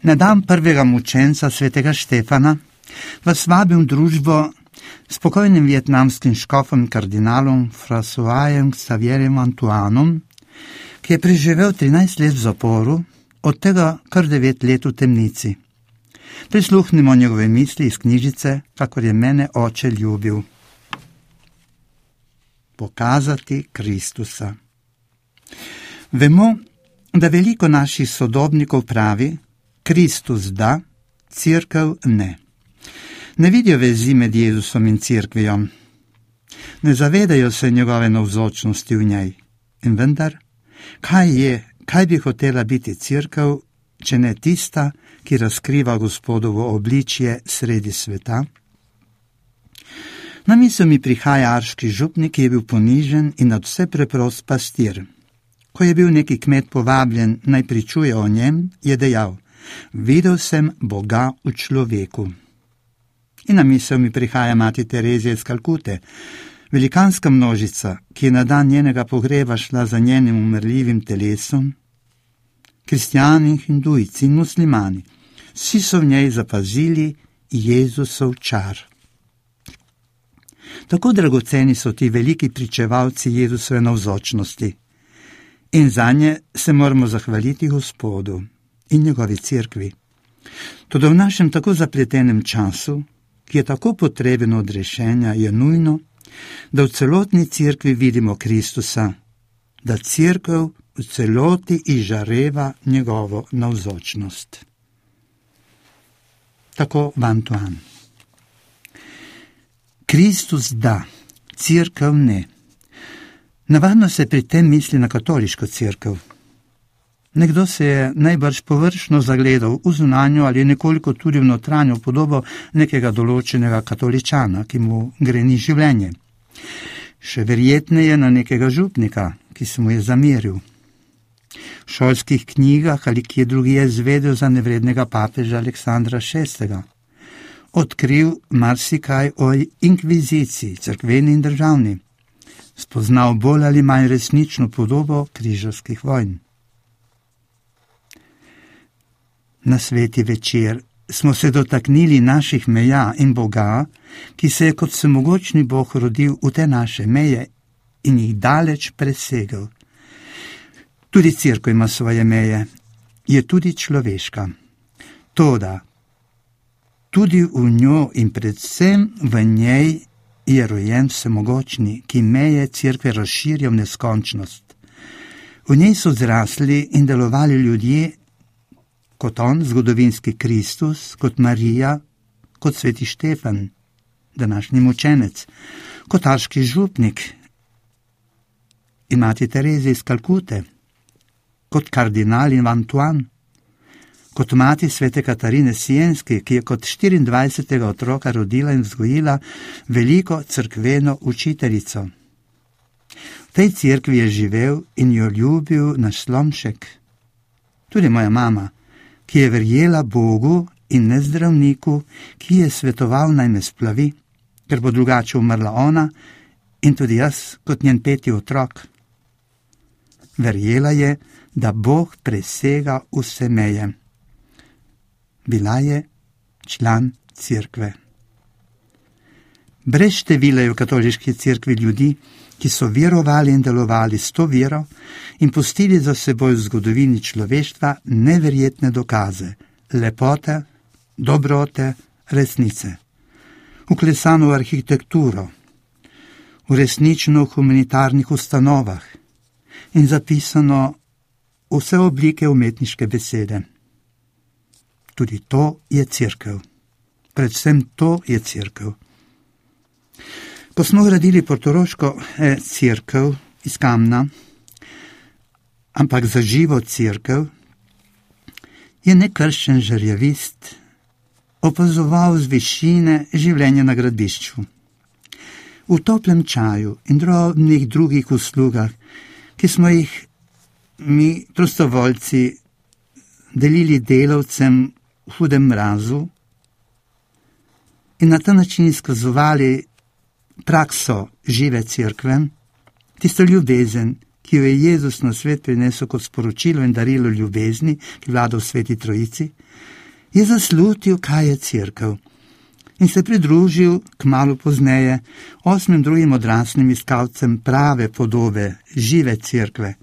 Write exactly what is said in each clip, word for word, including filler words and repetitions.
Na dan prvega mučenca svetega Štefana vas vabim v družbo s pokojnim vietnamskim škofom kardinalom Françoisem Xavierjem Antoinom, ki je preživel trinajst let v zaporu, od tega kar devet let v temnici. Prisluhnimo njegove misli iz knjižice, kakor je mene oče ljubil. Pokazati Kristusa. Vemo, da veliko naših sodobnikov pravi, Kristus da, Cerkev ne. Ne vidijo vezi med Jezusom in Cerkvijo. Ne zavedajo se njegove navzočnosti v njej. In vendar, kaj je, kaj bi hotela biti Cerkev, če ne tista, ki razkriva Gospodovo obličje sredi sveta? Na misel mi prihaja arški župnik, ki je bil ponižen in nadvse preprost pastir. Ko je bil neki kmet povabljen, naj pričuje o njem, je dejal: videl sem Boga v človeku. In na misel mi prihaja mati Terezija iz Kalkute, velikanska množica, ki je na dan njenega pogreba šla za njenim umrljivim telesom. Kristjani, hindujci in muslimani, vsi so v njej zapazili Jezusov čar. Tako dragoceni so ti veliki pričevalci Jezusove navzočnosti. In zanje se moramo zahvaliti Gospodu in njegovi cerkvi. Toda v našem tako zapletenem času, ki je tako potreben od rešenja, je nujno, da v celotni cerkvi vidimo Kristusa, da cerkev v celoti izžareva njegovo navzočnost. Tako Antoine. Kristus da, cerkev ne. Navadno se pri tem misli na katoliško cerkev. Nekdo se je najbrž površno zagledal v zunanjo ali nekoliko tudi v notranjo podobo nekega določenega katoličana, ki mu greni življenje. Še verjetneje na nekega župnika, ki se mu je zameril. V šolskih knjigah ali kje drugje je zvedel za nevrednega papeža Aleksandra šestega. Odkril marsikaj o inkviziciji, cerkveni in državni. Spoznal bolj ali manj resnično podobo križarskih vojn. Na sveti večer smo se dotaknili naših meja in Boga, ki se je kot vsemogočni Bog rodil v te naše meje in jih daleč presegel. Tudi cerkev ima svoje meje, je tudi človeška. Toda tudi v njo in predvsem v njej je rojen vsemogočni, ki meje cerkve razširja v neskončnost. V njej so zrasli in delovali ljudje, kot on, zgodovinski Kristus, kot Marija, kot sveti Štefan, današnji mučenec, kot arški župnik in mati Terezija iz Kalkute, kot kardinal in Antoine, kot mati svete Katarine Sienske, ki je kot štiriindvajsetega otroka rodila in vzgojila veliko cerkveno učiteljico. V tej cerkvi je živel in jo ljubil naš Slomšek. Tudi moja mama, ki je verjela Bogu in ne zdravniku, ki je svetoval naj me splavi, ker bo drugače umrla ona in tudi jaz kot njen peti otrok. Verjela je, da Bog presega vse meje. Bila je član cerkve. Brez števila je v katoliški cerkvi ljudi, ki so verovali in delovali s to vero in pustili za seboj v zgodovini človeštva neverjetne dokaze, lepote, dobrote, resnice. Vklesano v arhitekturo, v resnično v humanitarnih ustanovah in zapisano vse oblike umetniške besede. Tudi to je cerkev. Predvsem to je cerkev. Ko smo gradili portoroško eh, cerkev iz kamna, ampak za živo cerkev, je nekrščen žerjavist opazoval z višine življenje na gradbišču. V toplem čaju in drobnih drugih uslugah, ki smo jih mi, prostovoljci, delili delavcem v hudem mrazu in na ta način izkazovali prakso žive cerkve, tisto ljubezen, ki ki jo je Jezus na svet prinesel kot sporočilo in darilo ljubezni, ki vlada v Sveti Trojici, je zaslutil, kaj je cerkev in se pridružil kmalu pozneje osmim drugim odraslim iskalcem prave podobe, žive cerkve.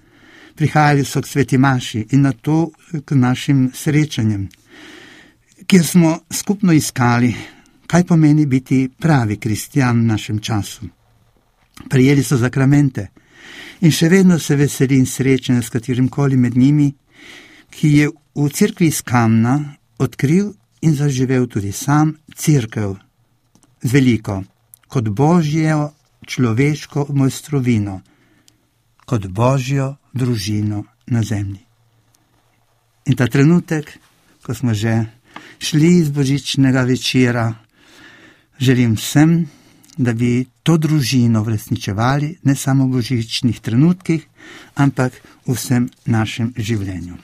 Prihajali so k sveti maši in na to k našim srečanjem, kjer smo skupno iskali, kaj pomeni biti pravi kristjan v našem času. Prijeli so zakramente in še vedno se veselim srečanja s katerimkoli med njimi, ki je v cerkvi iz kamna odkril in zaživel tudi sam cerkev z veliko, kot božjo človeško mojstrovino, kot božjo družino na zemlji. In ta trenutek, ko smo že šli iz božičnega večera, želim vsem, da bi to družino uresničevali ne samo v božičnih trenutkih, ampak v vsem našem življenju.